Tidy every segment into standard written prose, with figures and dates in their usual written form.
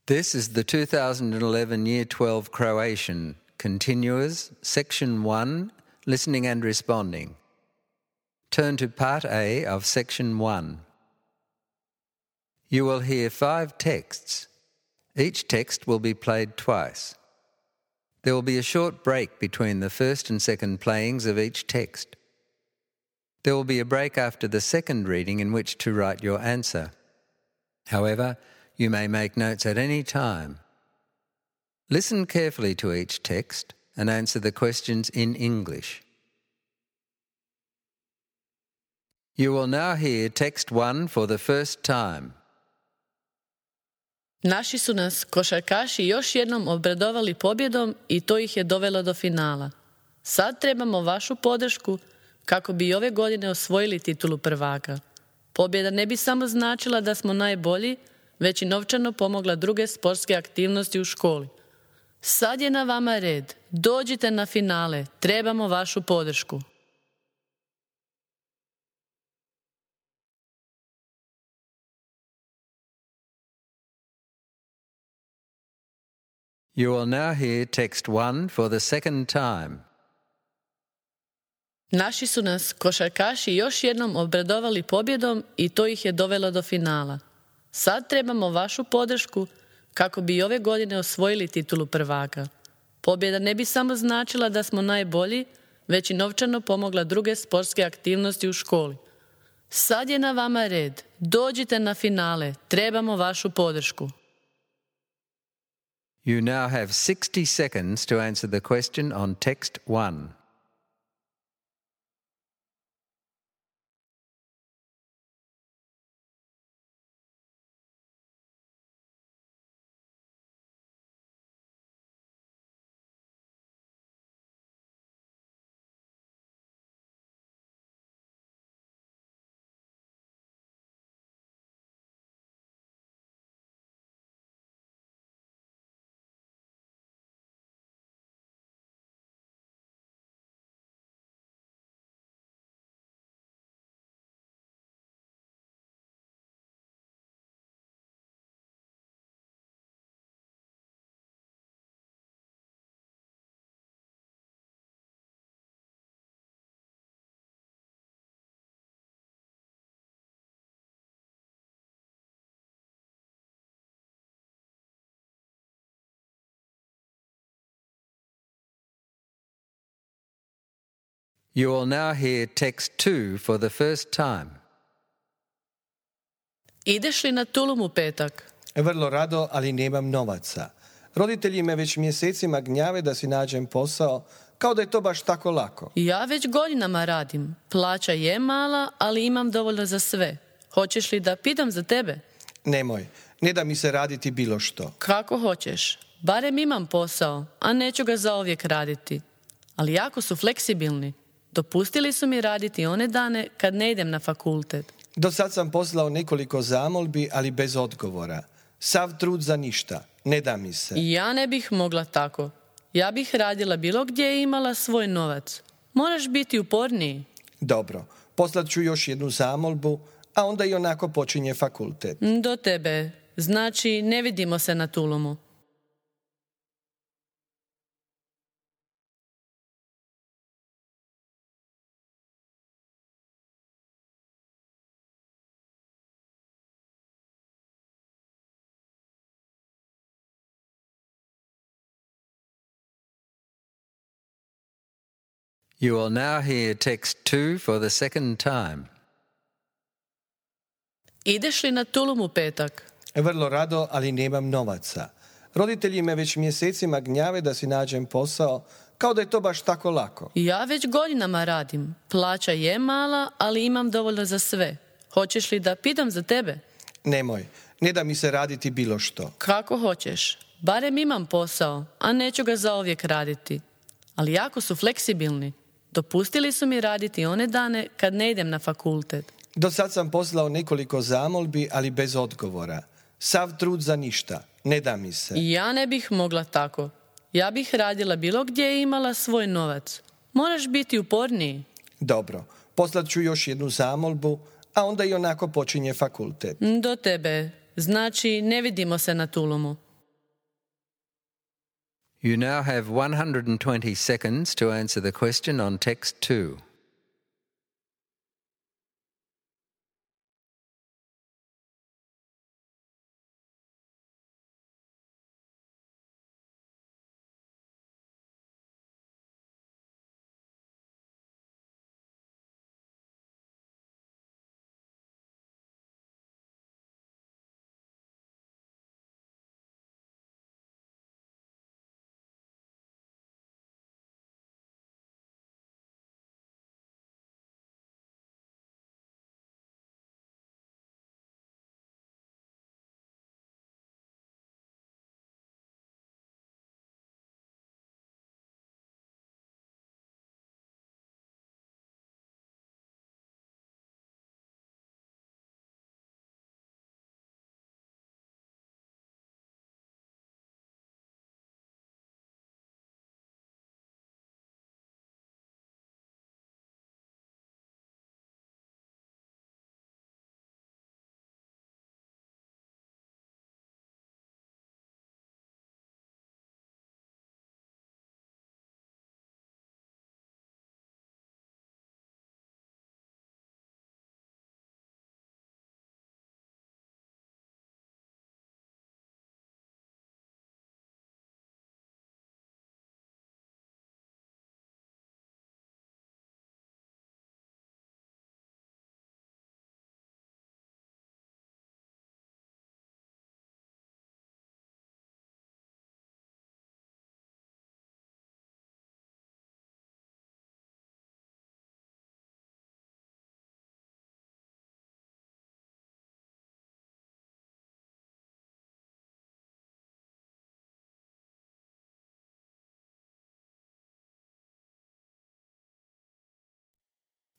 This is the 2011 Year 12 Croatian Continuers, Section 1, Listening and Responding. Turn to Part A of Section 1. You will hear 5 texts. Each text will be played twice. There will be a short break between the first and second playings of each text. There will be a break after the second reading in which to write your answer. However, you may make notes at any time. Listen carefully to each text and answer the questions in English. You will now hear text 1 for the first time. Naši su nas košarkaši još jednom obradovali pobjedom i to ih je dovelo do finala. Sad trebamo vašu podršku kako bi i ove godine osvojili titulu prvaka. Pobjeda ne bi samo značila da smo najbolji, već i novčano pomogla druge sportske aktivnosti u školi. Sad je na vama red. Dođite na finale. Trebamo vašu podršku. You will now hear text 1 for the second time. Naši su nas košarkaši još jednom obradovali pobjedom i to ih je dovelo do finala. Sad trebamo vašu podršku kako bi i ove godine osvojili titulu prvaka. Pobjeda ne bi samo značila da smo najbolji, već i novčano pomogla druge sportske aktivnosti u školi. Sad je na vama red. Dođite na finale. Trebamo vašu podršku. You now have 60 seconds to answer the question on text 1. You will now hear text 2 for the first time. Ideš li na Tulum u petak? Vrlo rado, ali nemam novaca. Roditelji me već mjesecima gnjave da si nađem posao, kao da je to baš tako lako. Ja već godinama radim. Plaća je mala, ali imam dovoljno za sve. Hoćeš li da pitam za tebe? Nemoj, ne da mi se raditi bilo što. Kako hoćeš. Barem imam posao, a neću ga zauvijek raditi. Ali jako su fleksibilni. Dopustili su mi raditi one dane kad ne idem na fakultet. Do sad sam poslao nekoliko zamolbi, ali bez odgovora. Sav trud za ništa, ne da mi se. Ja ne bih mogla tako. Ja bih radila bilo gdje i imala svoj novac. Moraš biti uporniji. Dobro, poslat ću još jednu zamolbu, a onda i onako počinje fakultet. Do tebe. Znači, ne vidimo se na Tulumu. You will now hear text 2 for the second time. Ideš li na Tulum u petak? Vrlo rado, ali nemam novaca. Roditelji me već mjesecima gnjave da si nađem posao, kao da je to baš tako lako. Ja već godinama radim. Plaća je mala, ali imam dovoljno za sve. Hoćeš li da pitam za tebe? Nemoj, ne da mi se raditi bilo što. Kako hoćeš. Barem imam posao, a neću ga zauvijek raditi. Ali jako su fleksibilni. Dopustili su mi raditi one dane kad ne idem na fakultet. Do sad sam poslao nekoliko zamolbi, ali bez odgovora. Sav trud za ništa, ne da mi se. Ja ne bih mogla tako. Ja bih radila bilo gdje i imala svoj novac. Moraš biti uporniji. Dobro, poslat ću još jednu zamolbu, a onda i onako počinje fakultet. Do tebe. Znači, ne vidimo se na Tulumu. You now have 120 seconds to answer the question on text 2.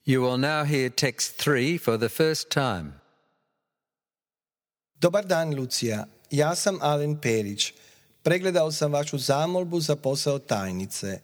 You will now hear text 3 for the first time. Dobar dan, Lucija. Ja sam Alen Perić. Pregledao sam vašu zamolbu za posao tajnice.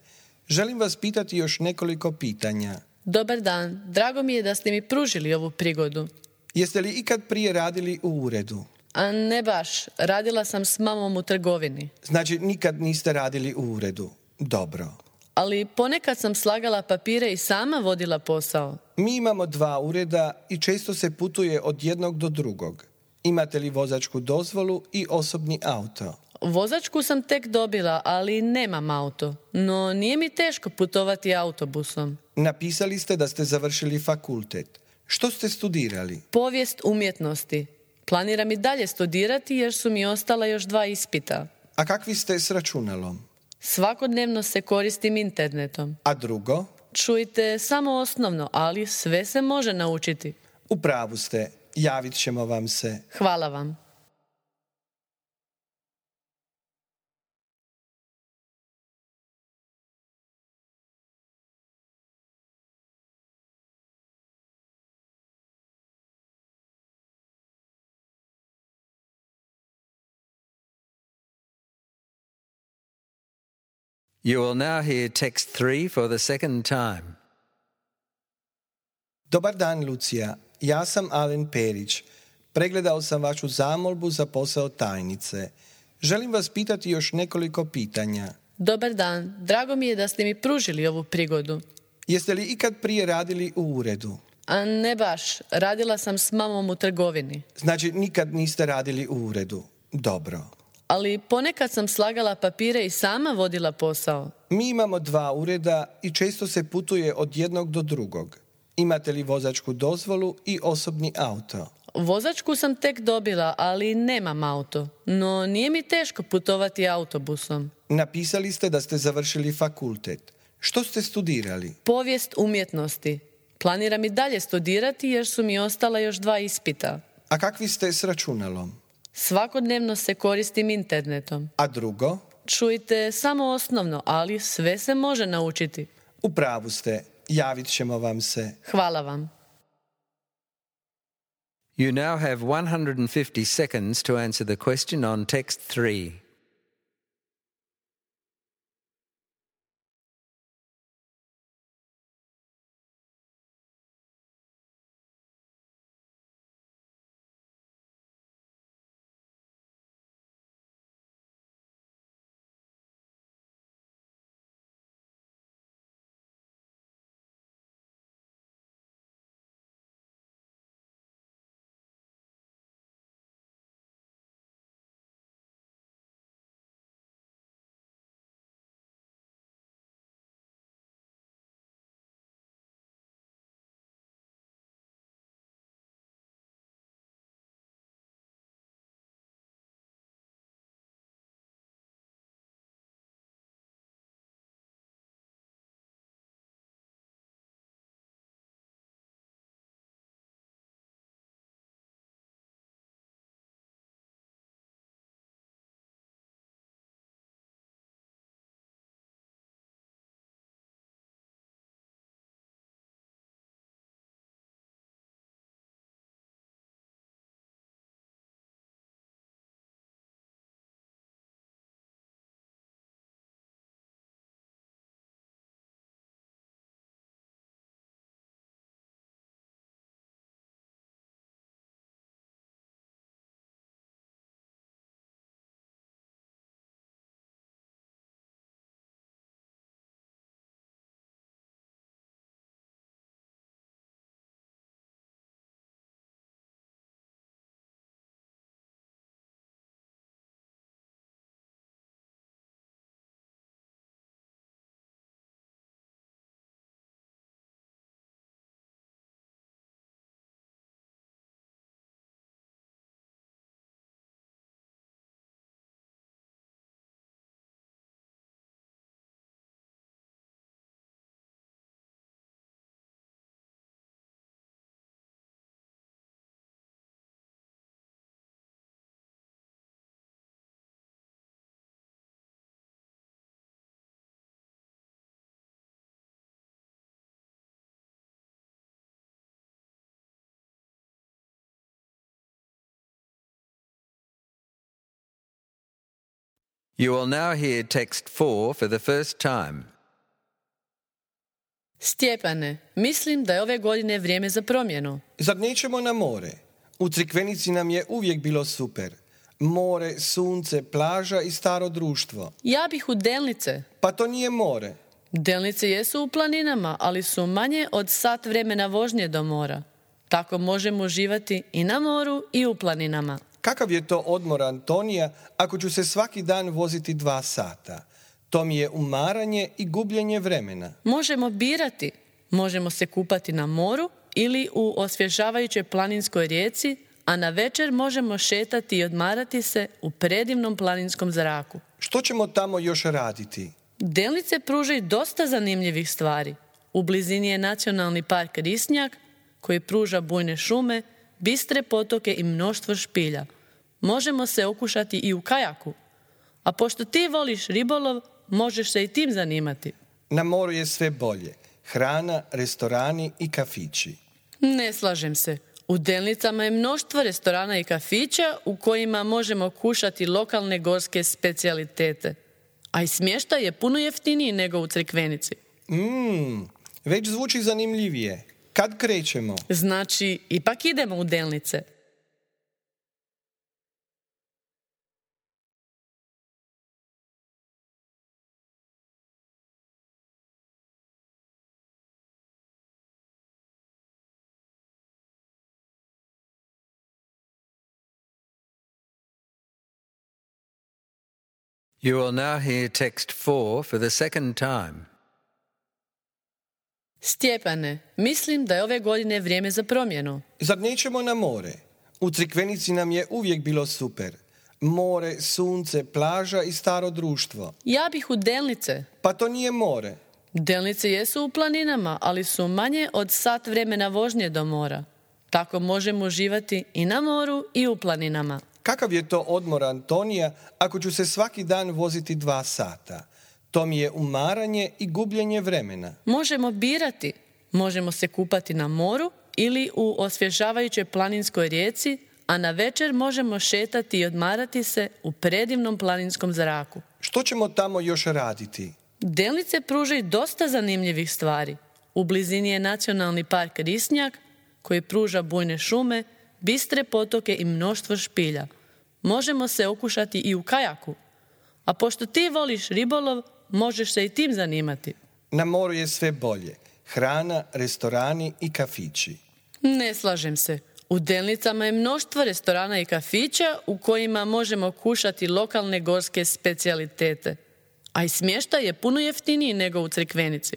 Želim vas pitati još nekoliko pitanja. Dobar dan, drago mi je da ste mi pružili ovu prigodu. Jeste li ikad prije radili u uredu? A ne baš, radila sam s mamom u trgovini. Znači, nikad niste radili u uredu. Dobro. Ali ponekad sam slagala papire i sama vodila posao. Mi imamo 2 ureda i često se putuje od jednog do drugog. Imate li vozačku dozvolu i osobni auto? Vozačku sam tek dobila, ali nemam auto. No nije mi teško putovati autobusom. Napisali ste da ste završili fakultet. Što ste studirali? Povijest umjetnosti. Planiram i dalje studirati jer su mi ostala još 2 ispita. A kakvi ste s računalom? Svakodnevno se koristim internetom. A drugo? Čujte, samo osnovno, ali sve se može naučiti. U pravu ste. Javit ćemo vam se. Hvala vam. You will now hear text 3 for the second time. Dobar dan, Lucija. Ja sam Alen Perić. Pregledao sam vašu zamolbu za posao tajnice. Želim vas pitati još nekoliko pitanja. Dobar dan, drago mi je da ste mi pružili ovu prigodu. Jeste li ikad prije radili u uredu? A ne baš, radila sam s mamom u trgovini. Znači, nikad niste radili u uredu. Dobro. Ali ponekad sam slagala papire i sama vodila posao. Mi imamo 2 ureda i često se putuje od jednog do drugog. Imate li vozačku dozvolu i osobni auto? Vozačku sam tek dobila, ali nemam auto. No nije mi teško putovati autobusom. Napisali ste da ste završili fakultet. Što ste studirali? Povijest umjetnosti. Planiram i dalje studirati jer su mi ostala još 2 ispita. A kakvi ste s računalom? Svakodnevno se koristim internetom. A drugo? Čujte, samo osnovno, ali sve se može naučiti. U pravu ste. Javit ćemo vam se. Hvala vam. You now have 150 seconds to answer the question on text 3. You will now hear text 4 for the first time. Stjepane, mislim da je ove godine vrijeme za promjenu. Zar nećemo na more? U Crikvenici nam je uvijek bilo super. More, sunce, plaža i staro društvo. Ja bih u Delnice. Pa to nije more. Delnice jesu u planinama, ali su manje od sat vremena vožnje do mora. Tako možemo uživati i na moru i u planinama. Kakav je to odmor, Antonija, ako ću se svaki dan voziti 2 sata? To mi je umaranje i gubljenje vremena. Možemo birati. Možemo se kupati na moru ili u osvježavajućoj planinskoj rijeci, a na večer možemo šetati i odmarati se u predivnom planinskom zraku. Što ćemo tamo još raditi? Delnice pružaju dosta zanimljivih stvari. U blizini je nacionalni park Risnjak, koji pruža bujne šume, bistre potoke i mnoštvo špilja. Možemo se okušati i u kajaku. A pošto ti voliš ribolov, možeš se i tim zanimati. Na moru je sve bolje. Hrana, restorani i kafići. Ne slažem se. U Delnicama je mnoštvo restorana i kafića u kojima možemo kušati lokalne gorske specijalitete. A i smještaj je puno jeftiniji nego u Crikvenici. Već zvuči zanimljivije. Kad krećemo? Znači, ipak idemo u Delnice. You will now hear text 4 for the second time. Stjepane, mislim da je ove godine vrijeme za promjenu. Zar nećemo na more? U Crikvenici nam je uvijek bilo super. More, sunce, plaža i staro društvo. Ja bih u Delnice. Pa to nije more. Delnice jesu u planinama, ali su manje od sat vremena vožnje do mora. Tako možemo uživati i na moru i u planinama. Kakav je to odmor, Antonija, ako ću se svaki dan voziti 2 sata? To mi je umaranje i gubljenje vremena. Možemo birati. Možemo se kupati na moru ili u osvježavajućoj planinskoj rijeci, a na večer možemo šetati i odmarati se u predivnom planinskom zraku. Što ćemo tamo još raditi? Delnice pružaju dosta zanimljivih stvari. U blizini je nacionalni park Risnjak, koji pruža bujne šume, bistre potoke i mnoštvo špilja. Možemo se okušati i u kajaku. A pošto ti voliš ribolov, možeš se i tim zanimati. Na moru je sve bolje. Hrana, restorani i kafići. Ne slažem se. U Delnicama je mnoštvo restorana i kafića u kojima možemo kušati lokalne gorske specijalitete. A i smještaj je puno jeftiniji nego u Crikvenici.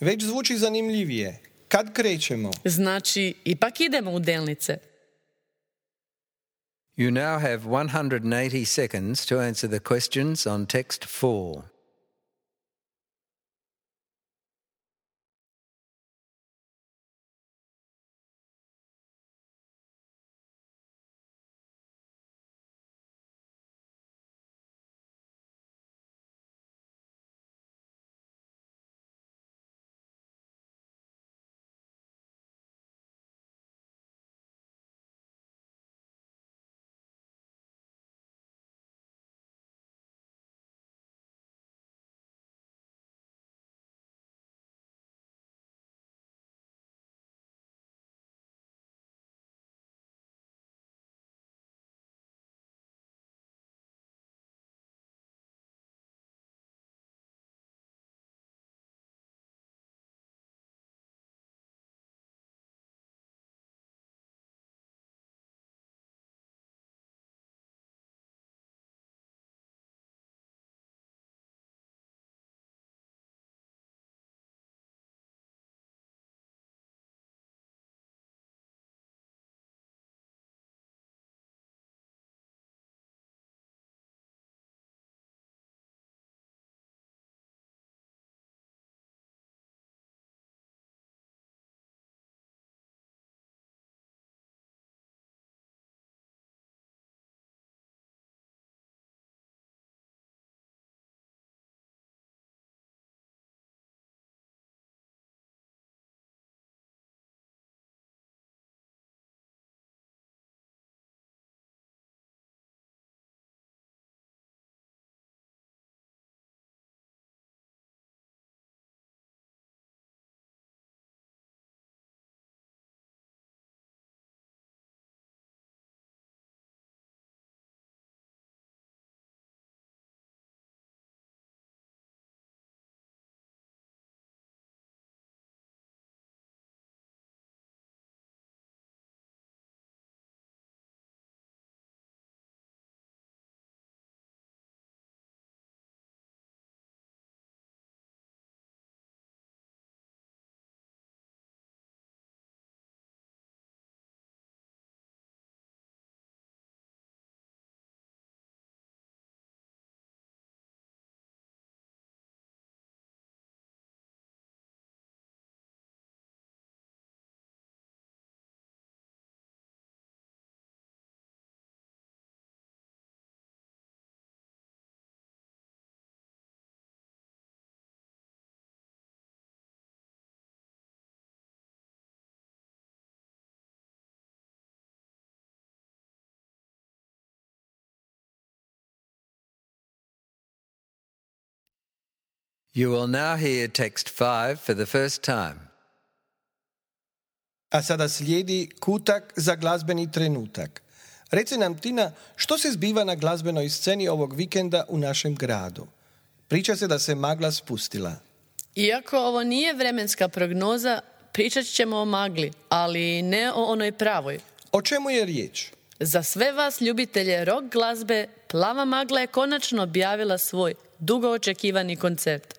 Već zvuči zanimljivije. Kad krećemo? Znači, ipak idemo u Delnice. You now have 180 seconds to answer the questions on text 4. You will now hear text 5 for the first time. A sada slijedi kutak za glazbeni trenutak. Reci nam, Tina, što se zbiva na glazbenoj sceni ovog vikenda u našem gradu? Priča se da se magla spustila. Iako ovo nije vremenska prognoza, pričat ćemo o magli, ali ne o onoj pravoj. O čemu je riječ? Za sve vas ljubitelje rock glazbe, Plava magla je konačno objavila svoj dugo očekivani koncert.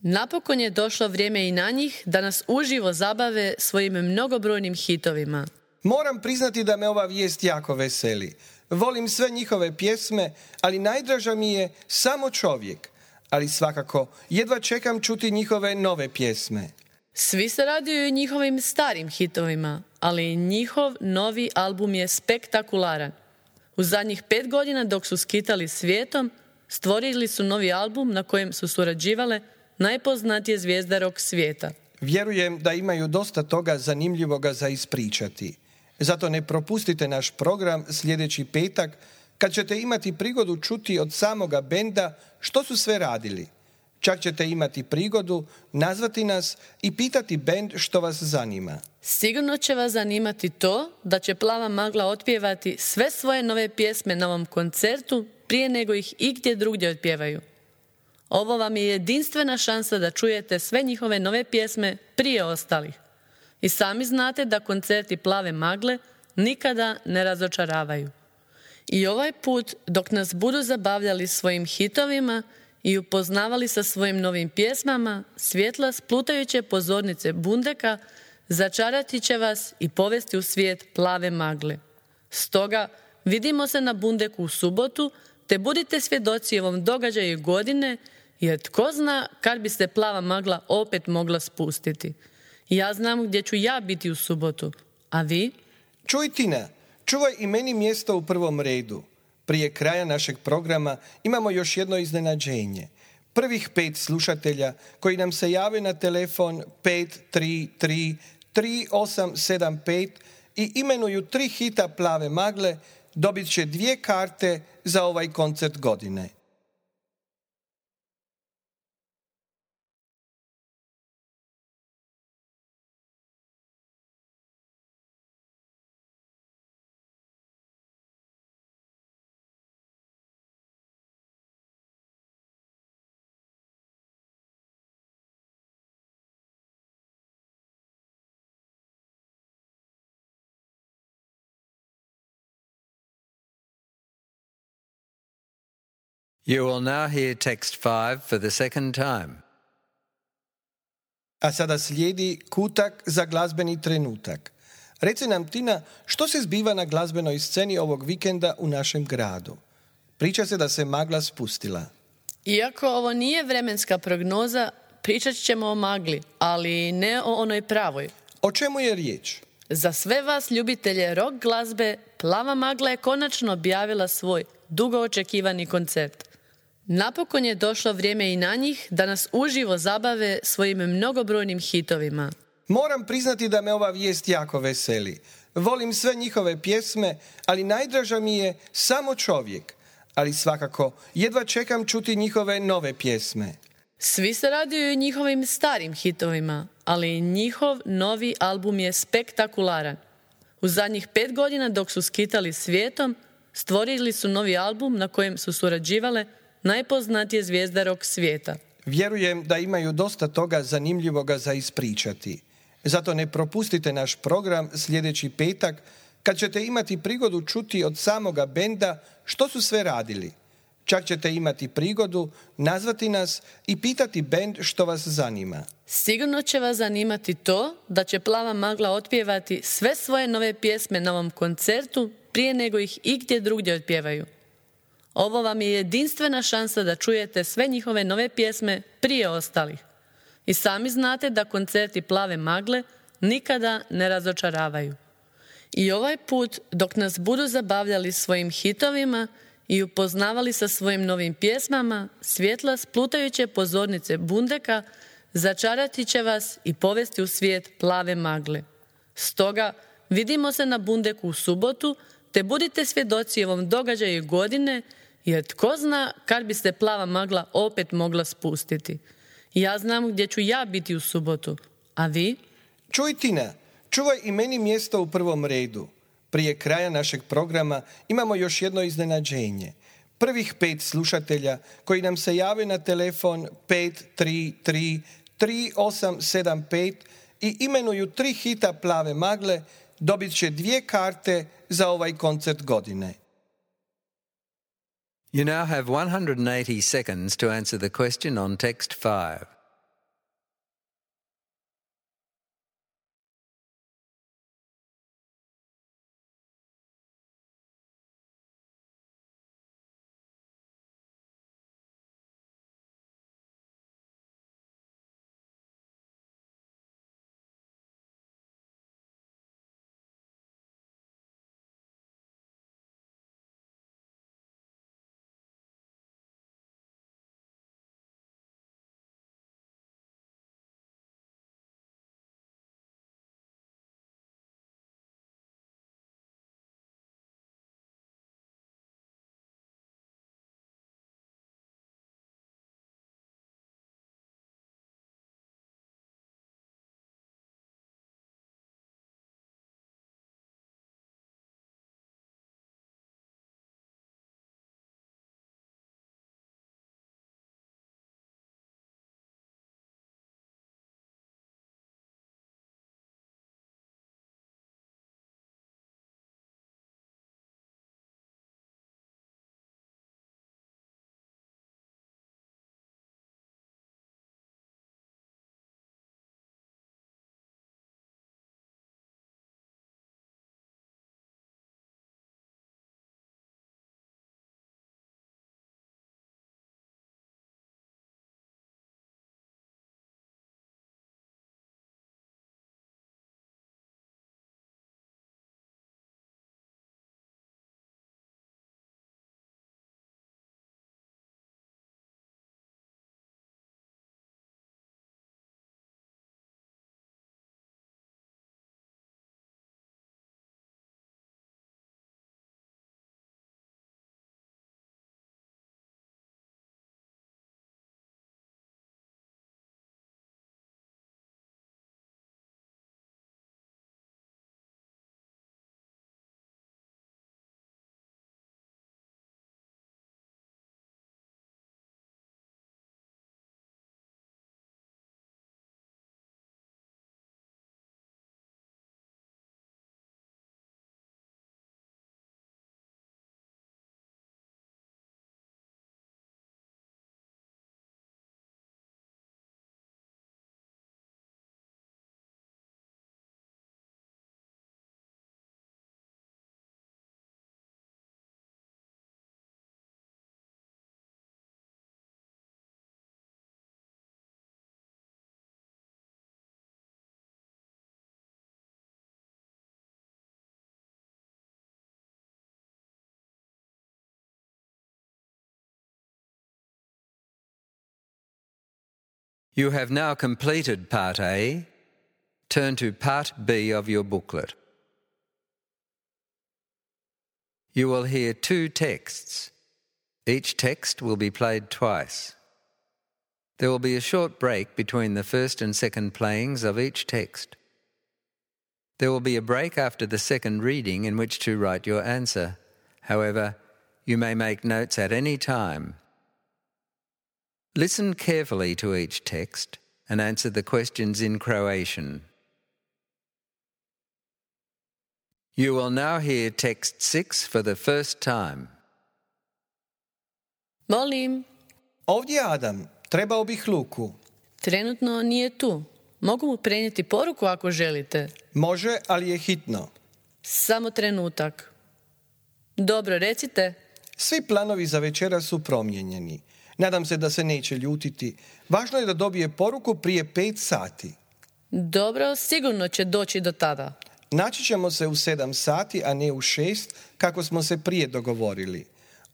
Napokon je došlo vrijeme i na njih da nas uživo zabave svojim mnogobrojnim hitovima. Moram priznati da me ova vijest jako veseli. Volim sve njihove pjesme, ali najdraža mi je Samo čovjek. Ali svakako, jedva čekam čuti njihove nove pjesme. Svi se raduju i njihovim starim hitovima, ali njihov novi album je spektakularan. U zadnjih 5 godina dok su skitali svijetom, stvorili su novi album na kojem su surađivale najpoznatije zvijezde rock svijeta. Vjerujem da imaju dosta toga zanimljivoga za ispričati. Zato ne propustite naš program sljedeći petak, kad ćete imati prigodu čuti od samoga benda što su sve radili. Čak ćete imati prigodu nazvati nas i pitati bend što vas zanima. Sigurno će vas zanimati to da će Plava magla otpjevati sve svoje nove pjesme na ovom koncertu prije nego ih igdje drugdje otpjevaju. Ovo vam je jedinstvena šansa da čujete sve njihove nove pjesme prije ostalih. I sami znate da koncerti Plave magle nikada ne razočaravaju. I ovaj put, dok nas budu zabavljali svojim hitovima i upoznavali sa svojim novim pjesmama, svjetla splutajuće pozornice Bundeka začarati će vas i povesti u svijet Plave magle. Stoga, vidimo se na Bundeku u subotu, te budite svjedoci ovom događaju godine, jer tko zna kad bi se Plava magla opet mogla spustiti. Ja znam gdje ću ja biti u subotu, a vi? Čuj, Tina, čuvaj i meni mjesto u prvom redu. Prije kraja našeg programa imamo još jedno iznenađenje. Prvih 5 slušatelja koji nam se jave na telefon 533-3875 i imenuju 3 hita Plave magle, dobit će 2 karte za ovaj koncert godine. You will now hear text 5 for the second time. A sada slijedi kutak za glazbeni trenutak. Reci nam, Tina, što se zbiva na glazbenoj sceni ovog vikenda u našem gradu? Priča se da se magla spustila. Iako ovo nije vremenska prognoza, pričat ćemo o magli, ali ne o onoj pravoj. O čemu je riječ? Za sve vas ljubitelje rock glazbe, Plava magla je konačno objavila svoj dugo očekivani koncert. Napokon je došlo vrijeme i na njih da nas uživo zabave svojim mnogobrojnim hitovima. Moram priznati da me ova vijest jako veseli. Volim sve njihove pjesme, ali najdraža mi je Samo čovjek. Ali svakako, jedva čekam čuti njihove nove pjesme. Svi se raduju i njihovim starim hitovima, ali njihov novi album je spektakularan. U zadnjih 5 godina dok su skitali svijetom, stvorili su novi album na kojem su surađivale najpoznatije zvijezde rock svijeta. Vjerujem da imaju dosta toga zanimljivoga za ispričati. Zato ne propustite naš program sljedeći petak, kad ćete imati prigodu čuti od samoga benda što su sve radili. Čak ćete imati prigodu nazvati nas i pitati bend što vas zanima. Sigurno će vas zanimati to da će Plava magla otpjevati sve svoje nove pjesme na ovom koncertu prije nego ih igdje drugdje otpjevaju. Ovo vam je jedinstvena šansa da čujete sve njihove nove pjesme prije ostalih. I sami znate da koncerti Plave magle nikada ne razočaravaju. I ovaj put, dok nas budu zabavljali svojim hitovima i upoznavali sa svojim novim pjesmama, svjetla splutajuće pozornice Bundeka začarati će vas i povesti u svijet Plave magle. Stoga, vidimo se na Bundeku u subotu, te budite svjedoci ovom događaju godine, jer tko zna kad bi se Plava magla opet mogla spustiti. Ja znam gdje ću ja biti u subotu. A vi? Čuj, Tina, čuvaj i meni mjesto u prvom redu. Prije kraja našeg programa imamo još jedno iznenađenje. Prvih 5 slušatelja koji nam se jave na telefon 533-3875 i imenuju 3 hita Plave magle, dobit će 2 karte za ovaj koncert godine. You now have 180 seconds to answer the question on text 5. You have now completed Part A. Turn to Part B of your booklet. You will hear 2 texts. Each text will be played twice. There will be a short break between the first and second playings of each text. There will be a break after the second reading in which to write your answer. However, you may make notes at any time. Listen carefully to each text and answer the questions in Croatian. You will now hear text 6 for the first time. Molim. Ovdje je Adam. Trebao bih Luku. Trenutno nije tu. Mogu mu prenijeti poruku ako želite. Može, ali je hitno. Samo trenutak. Dobro, recite. Svi planovi za večera su promijenjeni. Nadam se da se neće ljutiti. Važno je da dobije poruku prije 5 sati. Dobro, sigurno će doći do tada. Naći ćemo se u 7 sati, a ne u 6, kako smo se prije dogovorili.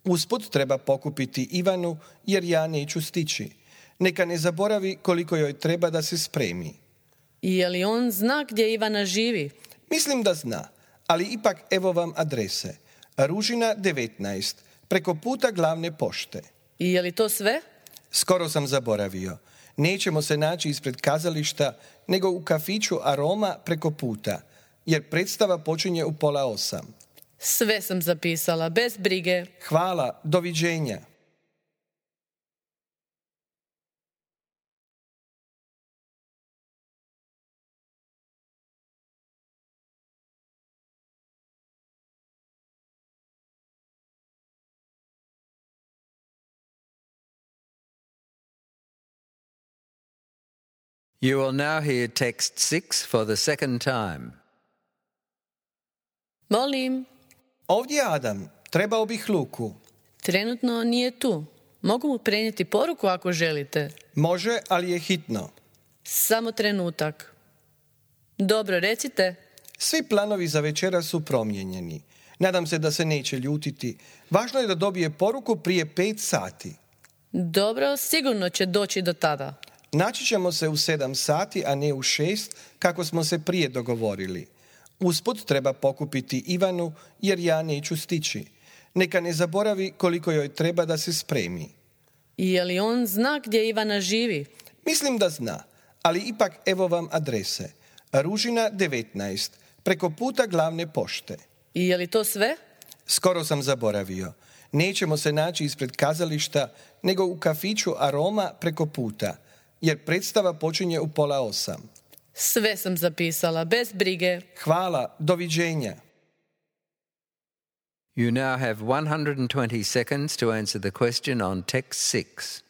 Usput treba pokupiti Ivanu, jer ja neću stići. Neka ne zaboravi koliko joj treba da se spremi. Je li on zna gdje Ivana živi? Mislim da zna, ali ipak evo vam adrese. Ružina 19, preko puta glavne pošte. I je li to sve? Skoro sam zaboravio. Nećemo se naći ispred kazališta, nego u kafiću Aroma preko puta, jer predstava počinje u 7:30. Sve sam zapisala, bez brige. Hvala, doviđenja. You will now hear text 6 for the second time. Molim, Ovdje je Adam, trebao bih Luku. trenutno nije tu. Mogu mu prenijeti poruku ako želite. Može, ali je hitno. Samo trenutak. Dobro, recite. Svi planovi za večera su promijenjeni. Nadam se da se neće ljutiti. Važno je da dobije poruku prije 5 sati. Dobro, sigurno će doći do tada. Naći ćemo se u 7 sati, a ne u 6, kako smo se prije dogovorili. Usput treba pokupiti Ivanu, jer ja neću stići. Neka ne zaboravi koliko joj treba da se spremi. Je li on zna gdje Ivana živi? Mislim da zna, ali ipak evo vam adrese. Ružina 19, preko puta glavne pošte. I je li to sve? Skoro sam zaboravio. Nećemo se naći ispred kazališta, nego u kafiću Aroma preko puta, jer predstava počinje u 7:30. Sve sam zapisala, bez brige. Hvala, doviđenja. You now have 120 seconds to answer the question on text 6.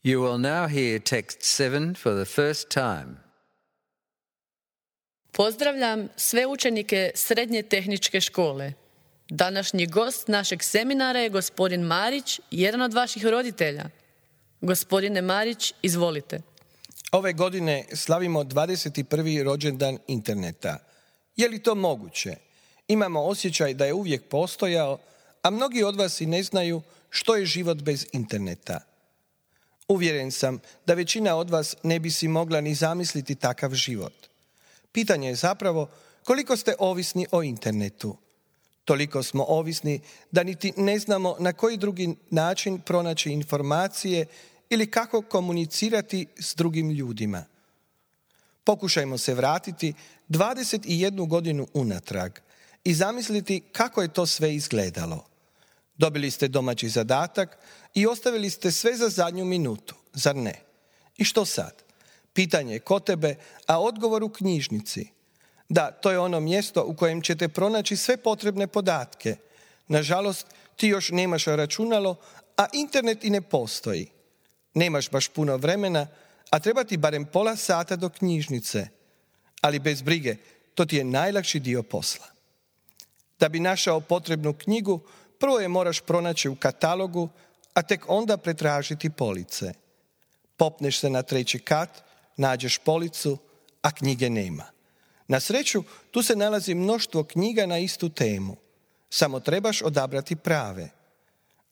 You will now hear text 7 for the first time. Pozdravljam sve učenike Srednje tehničke škole. Današnji gost našeg seminara je gospodin Marić, jedan od vaših roditelja. Gospodine Marić, izvolite. Ove godine slavimo 21. rođendan interneta. Je li to moguće? Imamo osjećaj da je uvijek postojao, a mnogi od vas i ne znaju što je život bez interneta. Uvjeren sam da većina od vas ne bi si mogla ni zamisliti takav život. Pitanje je zapravo koliko ste ovisni o internetu. Toliko smo ovisni da niti ne znamo na koji drugi način pronaći informacije ili kako komunicirati s drugim ljudima. Pokušajmo se vratiti 21 godinu unatrag i zamisliti kako je to sve izgledalo. Dobili ste domaći zadatak i ostavili ste sve za zadnju minutu, zar ne? I što sad? Pitanje je kod tebe, a odgovor u knjižnici. Da, to je ono mjesto u kojem ćete pronaći sve potrebne podatke. Nažalost, ti još nemaš računalo, a internet i ne postoji. Nemaš baš puno vremena, a treba ti barem pola sata do knjižnice. Ali bez brige, to ti je najlakši dio posla. Da bi našao potrebnu knjigu, prvo je moraš pronaći u katalogu, a tek onda pretražiti police. Popneš se na 3. kat, nađeš policu, a knjige nema. Na sreću, tu se nalazi mnoštvo knjiga na istu temu. Samo trebaš odabrati prave.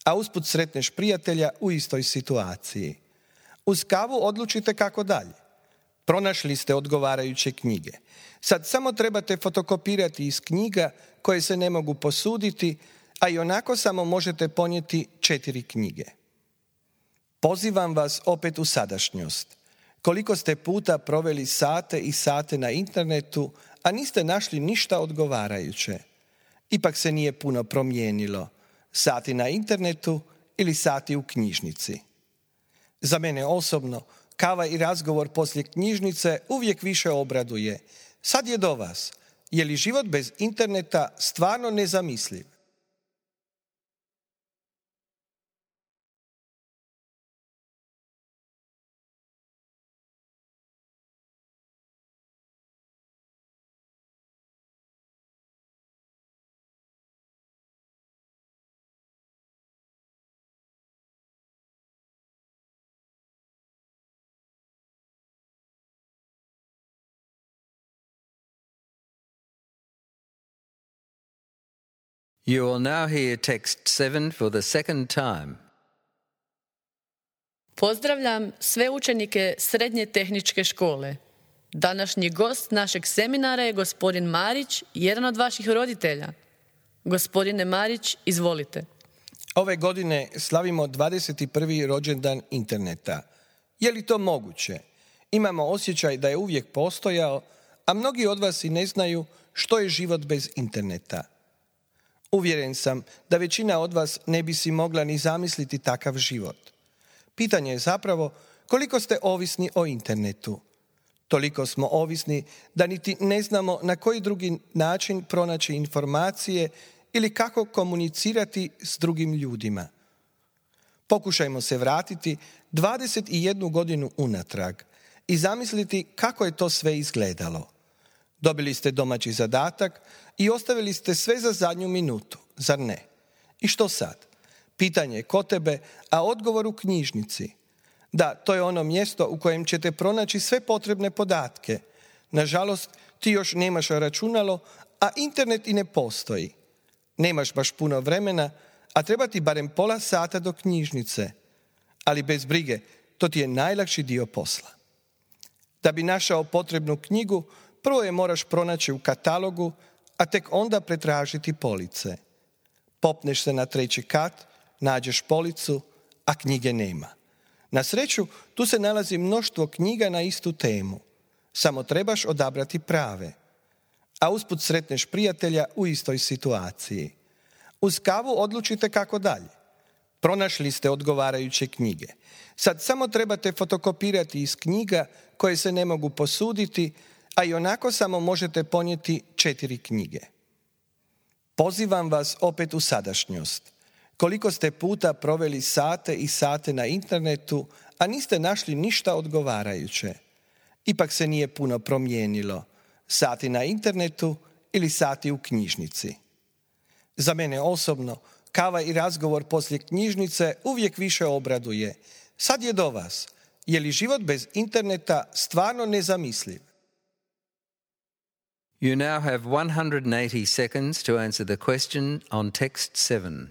A usput sretneš prijatelja u istoj situaciji. Uz kavu odlučite kako dalje. Pronašli ste odgovarajuće knjige. Sad samo trebate fotokopirati iz knjiga koje se ne mogu posuditi, a i onako samo možete ponijeti 4 knjige. Pozivam vas opet u sadašnjost. Koliko ste puta proveli sate i sate na internetu, a niste našli ništa odgovarajuće. Ipak se nije puno promijenilo. Sati na internetu ili sati u knjižnici. Za mene osobno, kava i razgovor poslije knjižnice uvijek više obraduje. Sad je do vas. Je li život bez interneta stvarno nezamisliv? You will now hear text 7 for the second time. Pozdravljam sve učenike Srednje tehničke škole. Današnji gost našeg seminara je gospodin Marić, jedan od vaših roditelja. Gospodine Marić, izvolite. Ove godine slavimo 21. rođendan interneta. Je li to moguće? Imamo osjećaj da je uvijek postojao, a mnogi od vas i ne znaju što je život bez interneta. Uvjeren sam da većina od vas ne bi si mogla ni zamisliti takav život. Pitanje je zapravo koliko ste ovisni o internetu. Toliko smo ovisni da niti ne znamo na koji drugi način pronaći informacije ili kako komunicirati s drugim ljudima. Pokušajmo se vratiti 21 godinu unatrag i zamisliti kako je to sve izgledalo. Dobili ste domaći zadatak i ostavili ste sve za zadnju minutu, zar ne? I što sad? Pitanje je kod tebe, a odgovor u knjižnici. Da, to je ono mjesto u kojem ćete pronaći sve potrebne podatke. Nažalost, ti još nemaš računalo, a internet i ne postoji. Nemaš baš puno vremena, a treba ti barem pola sata do knjižnice. Ali bez brige, to ti je najlakši dio posla. Da bi našao potrebnu knjigu, prvo je moraš pronaći u katalogu, a tek onda pretražiti police. Popneš se na 3. kat, nađeš policu, a knjige nema. Na sreću, tu se nalazi mnoštvo knjiga na istu temu. Samo trebaš odabrati prave. A usput sretneš prijatelja u istoj situaciji. Uz kavu odlučite kako dalje. Pronašli ste odgovarajuće knjige. Sad samo trebate fotokopirati iz knjiga koje se ne mogu posuditi, a i onako samo možete ponijeti 4 knjige. Pozivam vas opet u sadašnjost. Koliko ste puta proveli sate i sate na internetu, a niste našli ništa odgovarajuće. Ipak se nije puno promijenilo. Sati na internetu ili sati u knjižnici. Za mene osobno, kava i razgovor poslije knjižnice uvijek više obraduje. Sad je do vas. Je li život bez interneta stvarno nezamisliv? You now have 180 seconds to answer the question on text 7.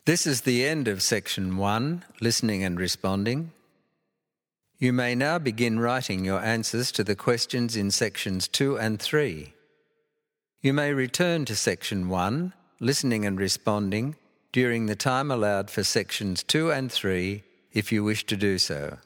This is the end of Section 1, Listening and Responding. You may now begin writing your answers to the questions in Sections 2 and 3. You may return to Section 1, Listening and Responding, during the time allowed for Sections 2 and 3 if you wish to do so.